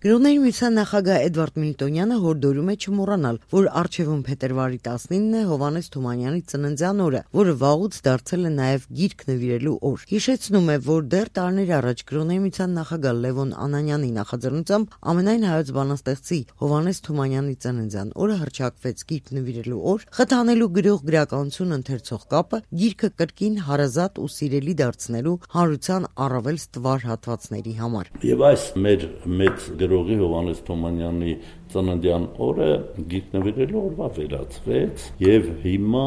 Գրողների միության նախագահ Էդվարդ Միլտոնյանը հորդորում է չմոռանալ, որ առջևում փետրվարի 19-ն է Հովհաննես Թումանյանի ծննդյան օրը, որը վաղուց դարձել է նաև գիրք նվիրելու օր։ Հիշեցնում է, որ դեռ տարիներ առաջ Գրողների միության նախագահ Լևոն Անանյանի նախաձեռնությամբ ամենայն հայոց բանաստեղծի Հովհաննես Թումանյանի ծննդյան օրը հռչակվեց գիրք նվիրելու օր, խթանելու գրող-գրականություն ընթերցող կապը, գիրքը կրկին հարազատ ու սիրելի դարձնելու հանրության առավել ստվար հատվածների համար։ Եվ այս մեր մեծ գրողի Հովհաննես Թումանյանի ծննդյան օրը գիրք նվիրելու օրվա վերածվեց եւ հիմա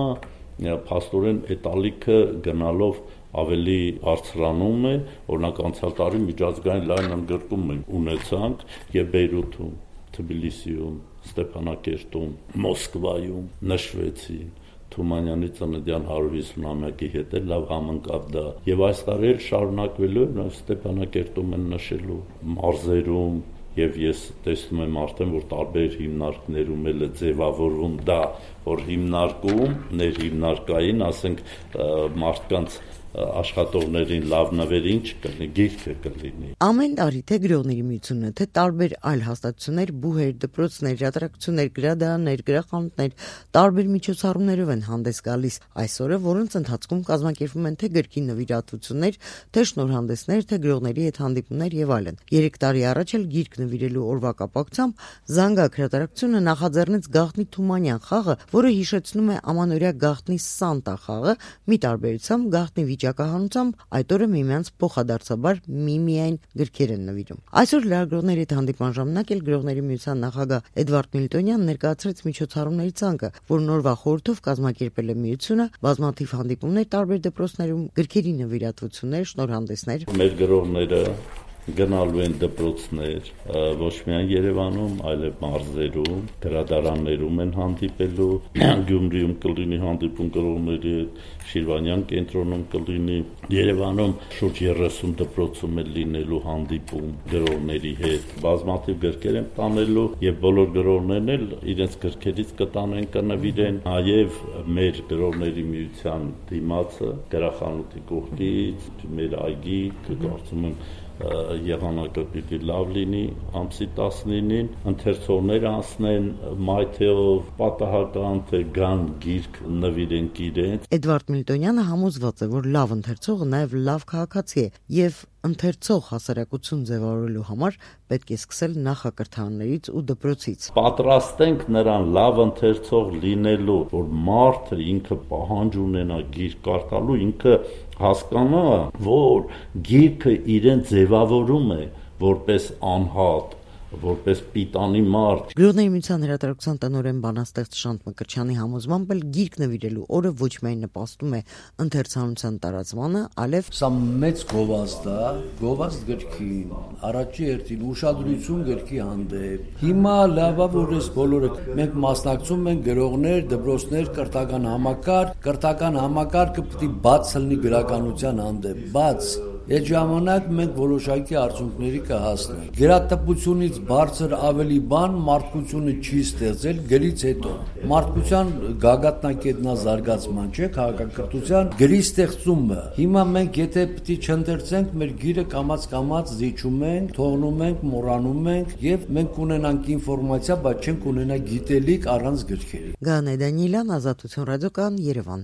փաստորեն այդ ալիքը գնալով ավելի բարձրանում է, օրինակ անցյալ տարի միջազգային լայն ընդգրկում ունեցանք եւ Բեյրութում, Թբիլիսիում, Ստեփանակերտում, Մոսկվայում նշվեցին Թումանյանի ծննդյան 150-ամյակի հետ լավ համընկավ դա եւ այս տարի էլ շարունակվելու է Ստեփանակերտում են նշելու մարզերում եւ ես տեսնում եմ արդեն որ տարբեր հիմնարկներում էլ է ձևավորվում դա որ հիմնարկում ներհիմնարկային ասենք մարդկանց աշխատողներին լավ նվերին չկլինի, գիրքը կլինի։ Ամեն տարի թե Գրողների միությունը, թե տարբեր այլ հաստատություններ, բուհեր, դպրոցներ, հրատարակություններ, գրադարաններ, գրախանութներ տարբեր միջոցառումներով են հանդես գալիս այսօրը, որոնց ընթացքում կազմակերպվում են թե գրքի նվիրատվություններ, թե շնորհանդեսներ, թե գրողների հետ հանդիպումներ եւ այլն։ 3 տարի առաջ էլ գիրք նվիրելու օրվա կապակցությամբ Զանգակ հրատարակությունը նախաձեռնեց Գաղտնի Թումանյան խաղը, որը հիշեցնում է ամանորյա Գաղտնի Սանտա խաղը, մի տարբերությամբ Գաղտնի վիճակահանությամբ այդ օրը միմյանց փոխադարձաբար միմիայն գրքեր են նվիրում։ Այսօր լրագրողների հետ հանդիպման ժամանակ էլ Գրողների միության նախագահ Էդվարդ Միլտոնյանն ներկայացրեց միջոցառումների ցանկը, որն օրվա խորհրդով կազմակերպել է միությունը, բազմաթիվ հանդիպումներ տարբեր դպրոցներում, գրքերի նվիրատվություններ, շնորհանդեսներ։ Մեր գրողները գնալու են դպրոցներ, ոչ միայն Երևանում, այլև մարզերում, գրադարաններում են հանդիպելու, Գյումրիում կլինի հանդիպում գրողների հետ, Շիրվանյան կենտրոնում կլինի, Երևանում շուրջ 30 դպրոցում է լինելու հանդիպում գրողների հետ, բազմաթիվ գրքեր են տանելու եւ բոլոր գրողներն էլ իրենց գրքերից կտանեն կնվիրեն, նաեւ մեր գրողների միության դիմացը գրախանութի կողքից, մեր այգի, կարծում եմ եղանակը պիտի լավ լինի ամսի 19-ին ընթերցողներ անցնեն մայթեով պատահական թե գան գիրք նվիրենք իրենց։ Էդվարդ Միլտոնյանը համոզված է, որ լավ ընթերցողը նաև լավ քաղաքացի է եւ ընթերցող հասարակություն ձևավորելու համար պետք է սկսել նախակրթարներից ու դպրոցից։ Պատրաստենք նրան լավ ընթերցող լինելու, որ մարդը ինքը պահանջ ունենա գիրք կարդալու, ինքը հասկանա, որ գիրքը իրեն ձևավորում է որպես անհատ, որպես պիտանի մարդ։ Գրողների միության հրատարակության տնօրեն բանաստեղծ Շանթ Մկրտչյանի համոզմամբ էլ գիրք նվիրելու օրը ոչ միայն նպաստում է ընթերցանության տարածմանը, այլև սա մեծ գովազդ է, գովազդ գրքին, առաջի հերթին ուշադրություն գրքի հանդեպ։ Հիմա լավ է, որ այս բոլորը մենք մասնակցում ենք գրողներ, դպրոցներ, կրթական համակարգը պետք է բաց լինի գրականության հանդեպ, բաց։ Այդ ժամանակ մենք որոշակի արդյունքների կհասնենք։ Գրատպությունից բարձր ավելի բան մարդկությունը չի ստեղծել գրից հետո։ Մարդկության գագաթնակետնա զարգացման չէ, քաղաքակրթության գրի ստեղծումը։ Հիմա մենք եթե պետք է չընթերցենք, մեր գիրը կամաց զիջում ենք, թողնում ենք, մոռանում ենք եւ մենք կունենանք ինֆորմացիա, բայց չենք ունենա գիտելիք առանց գրքերի։ Գանե Դանիելյան, Ազատություն ռադիոկան, Երևան։